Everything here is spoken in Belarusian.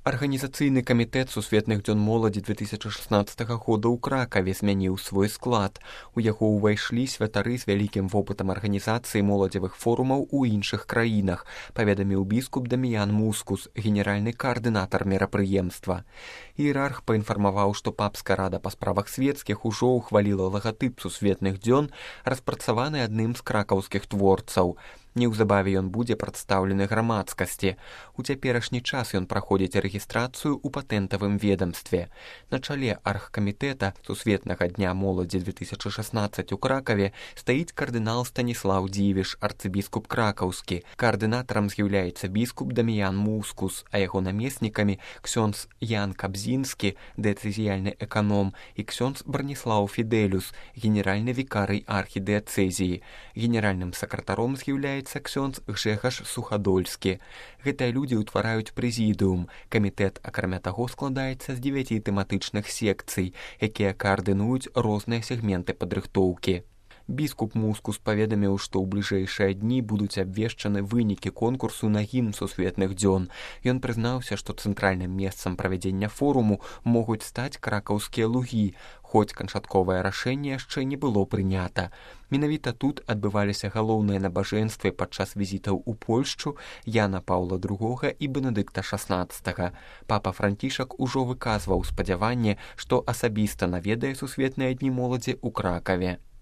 Арганізацыйны камітэт сусветных дзён моладзі 2016 года ў Кракаве змяніў свой склад. У яго ўвайшлі святары з вялікім вопытам арганізацыі моладзевых форумаў у іншых краінах, паведаміў біскуп Даміян Мускус, генеральны каардынатар мерапрыемства. Іерарх паінфармаваў, што папская рада па справах свецкіх ужо ўхваліла лагатып сусветных дзён, распрацаваны адным з кракаўскіх творцаў. Неўзабаве ён будзе прадстаўлены грамадскасці. У цяперашні час ён праходзіць рэгістрацыю ў патэнтавым ведамстве. На чале аргкамітэта Сусветнага дня моладзі 2016 у Кракаве стаіць кардынал Станіслаў Дзівіш, арцыбіскуп кракаўскі. Каардынатарам з'яўляецца біскуп Даміян Мускус, а яго намеснікамі ксёндз Ян Кабзінскі, дыяцэзіяльны эканом, і ксёндз Браніслаў Фідэлюс, генеральны вікарый архідыяцэзіі. Генеральным сакратаром з'яўляецца ксёндз Гжэгаш Сухадольскі. Гэтыя людзі ўтвараюць прэзідыум. Камітэт, акрамя таго, складаецца з 9 тэматычных секцый, якія каардынуюць розныя сегменты падрыхтоўкі. Біскуп Мускус паведаміў, што ў бліжэйшыя дні будуць абвешчаны вынікі конкурсу на гімн сусветных дзён. Ён прызнаўся, што цэнтральным месцам правядзення форуму могуць стаць кракаўскія лугі, хоць канчатковае рашэнне яшчэ не было прынята. Менавіта тут адбываліся галоўныя набажэнствы падчас візітаў у Польшчу Яна Паўла II і Бенедыкта XVI. Папа Францішак ужо выказваў спадзяванне, што асабіста наведае сусветныя дні моладзі ў Кракаве.